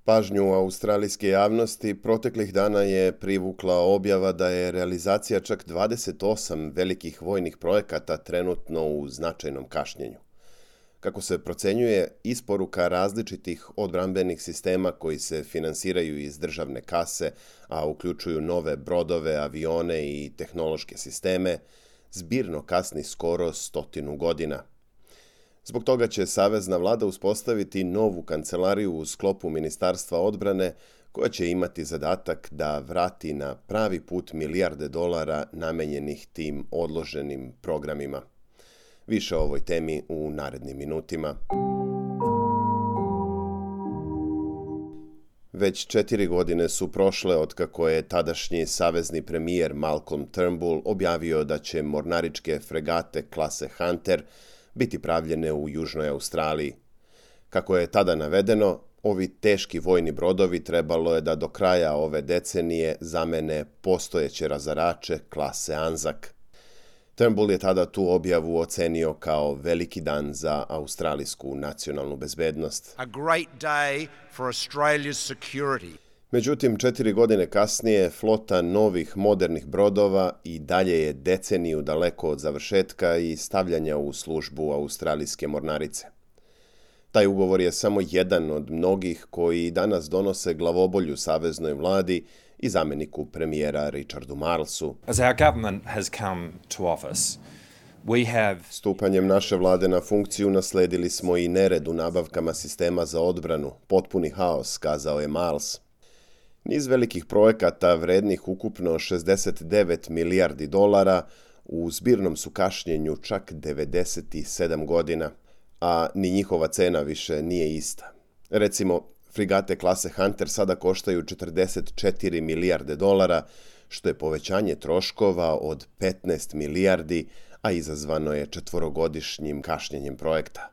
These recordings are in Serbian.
Pažnju australijske javnosti proteklih dana je privukla objava da je realizacija čak 28 velikih vojnih projekata trenutno u značajnom kašnjenju. Kako se procenjuje, isporuka različitih odbrambenih sistema koji se finansiraju iz državne kase, a uključuju nove brodove, avione i tehnološke sisteme, zbirno kasni skoro 100 godina. Zbog toga će Savezna vlada uspostaviti novu kancelariju u sklopu Ministarstva odbrane koja će imati zadatak da vrati na pravi put milijarde dolara namenjenih tim odloženim programima. Više o ovoj temi u narednim minutima. Već 4 godine su prošle otkako je tadašnji savezni premijer Malcolm Turnbull objavio da će mornaričke fregate klase Hunter biti pravljene u Južnoj Australiji. Kako je tada navedeno, ovi teški vojni brodovi trebalo je da do kraja ove decenije zamene postojeće razarače klase Anzac. Turnbull je tada tu objavu ocenio kao veliki dan za australijsku nacionalnu bezbednost. A great day for Australia's security. Međutim, 4 godine kasnije flota novih modernih brodova i dalje je deceniju daleko od završetka i stavljanja u službu australijske mornarice. Taj ugovor je samo jedan od mnogih koji danas donose glavobolju saveznoj vladi i zamjeniku premijera Richardu Marlesu. As our government has come to office, Stupanjem naše vlade na funkciju nasledili smo i nered u nabavkama sistema za odbranu, potpuni haos, kazao je Marles. Niz velikih projekata vrednih ukupno 69 milijardi dolara u zbirnom su kašnjenju čak 97 godina, a ni njihova cena više nije ista. Recimo, frigate klase Hunter sada koštaju 44 milijarde dolara, što je povećanje troškova od 15 milijardi, a izazvano je 4-godišnjim kašnjenjem projekta.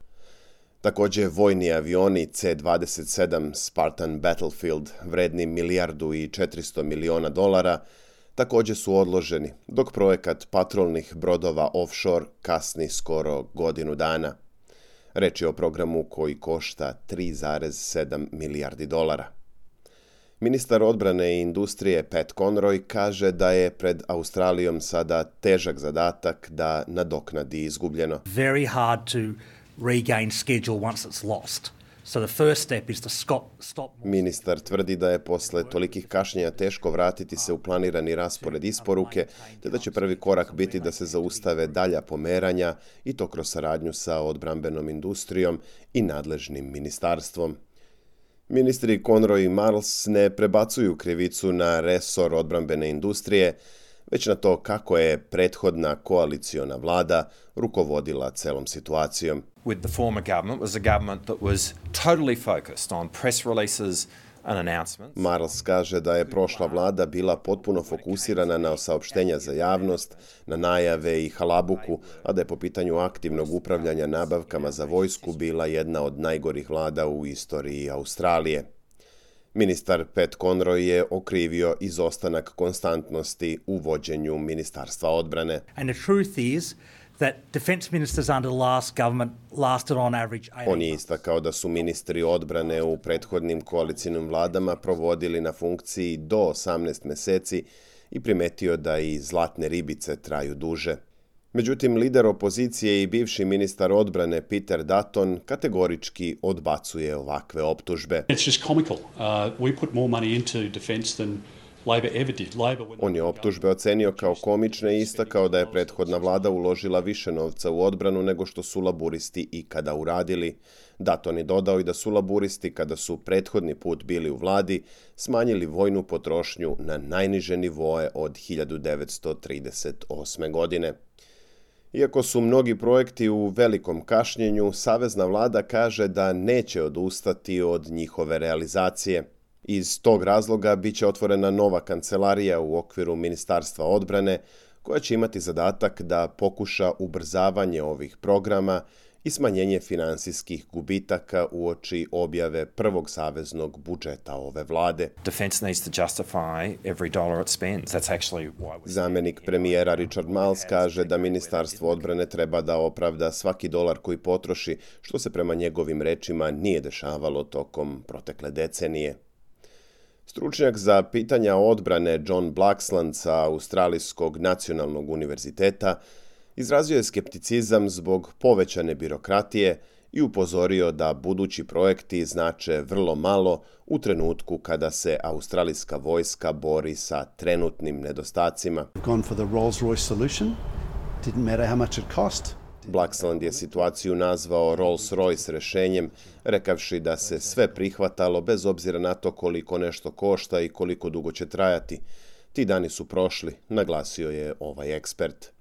Također, vojni avioni C-27 Spartan Battlefield, vredni $1,4 milijardi, također su odloženi, dok projekat patrolnih brodova offshore kasni skoro godinu dana. Reč je o programu koji košta $3,7 milijardi. Ministar odbrane i industrije Pat Conroy kaže da je pred Australijom sada težak zadatak da nadoknadi izgubljeno. Very hard to regain schedule once it's lost. So the first step is to stop. Ministar tvrdi da je posle tolikih kašnjenja teško vratiti se u planirani raspored isporuke, te da će prvi korak biti da se zaustave dalja pomeranja i to kroz saradnju sa odbrambenom industrijom i nadležnim ministarstvom. Ministri Conroy i Marles ne prebacuju krivicu na resor odbrambene industrije, već na to kako je prethodna koaliciona vlada rukovodila celom situacijom. with the former government was a government that was totally focused on press releases and announcements. Marles kaže da je prošla vlada bila potpuno fokusirana na saopštenja za javnost, na najave i halabuku, a da je po pitanju aktivnog upravljanja nabavkama za vojsku bila jedna od najgorih vlada u istoriji Australije. Ministar Pat Conroy je okrivio izostanak konstantnosti u vođenju Ministarstva odbrane. And the truth is that defence ministers under the last government lasted on average 8 On je istakao da su ministri odbrane u prethodnim koalicijnim vladama provodili na funkciji do 18 meseci i primetio da i zlatne ribice traju duže. Međutim, lider opozicije i bivši ministar odbrane Peter Dutton kategorički odbacuje ovakve optužbe. It's just comical. We put more money into defence than Labor ever did. On je optužbe ocenio kao komične i istakao da je prethodna vlada uložila više novca u odbranu nego što su laburisti ikada uradili. Dutton je dodao i da su laburisti, kada su prethodni put bili u vladi, smanjili vojnu potrošnju na najniže nivoe od 1938. godine. Iako su mnogi projekti u velikom kašnjenju, savezna vlada kaže da neće odustati od njihove realizacije. Iz tog razloga biće otvorena nova kancelarija u okviru Ministarstva odbrane, koja će imati zadatak da pokuša ubrzavanje ovih programa i smanjenje finansijskih gubitaka uoči objave prvog saveznog budžeta ove vlade. Defence needs to justify every dollar it spends. That's actually why Zamenik premijera Richard Marles kaže da Ministarstvo odbrane treba da opravda svaki dolar koji potroši, što se prema njegovim rečima nije dešavalo tokom protekle decenije. Stručnjak za pitanja odbrane John Blaxland sa Australijskog nacionalnog univerziteta izrazio je skepticizam zbog povećane birokratije i upozorio da budući projekti znače vrlo malo u trenutku kada se australijska vojska bori sa trenutnim nedostacima. Blaxland je situaciju nazvao Rolls-Royce rešenjem, rekavši da se sve prihvatalo bez obzira na to koliko nešto košta i koliko dugo će trajati. Ti dani su prošli, naglasio je ovaj ekspert.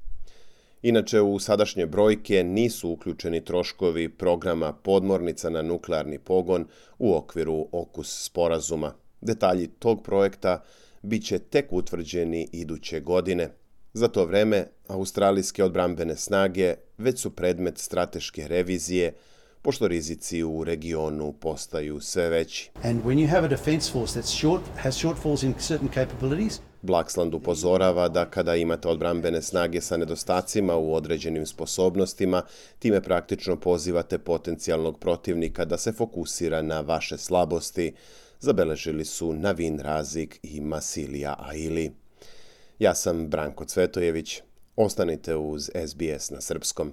Inače, u sadašnje brojke nisu uključeni troškovi programa podmornica na nuklearni pogon u okviru AUKUS sporazuma. Detalji tog projekta bit će tek utvrđeni iduće godine. Za to vreme, australijske odbrambene snage već su predmet strateške revizije, pošto rizici u regionu postaju sve veći. Blaxland upozorava da kada imate odbrambene snage sa nedostacima u određenim sposobnostima, time praktično pozivate potencijalnog protivnika da se fokusira na vaše slabosti, zabeležili su Navin Razik i Masilija Aili. Ja sam Branko Cvetojević. Ostanite uz SBS na srpskom.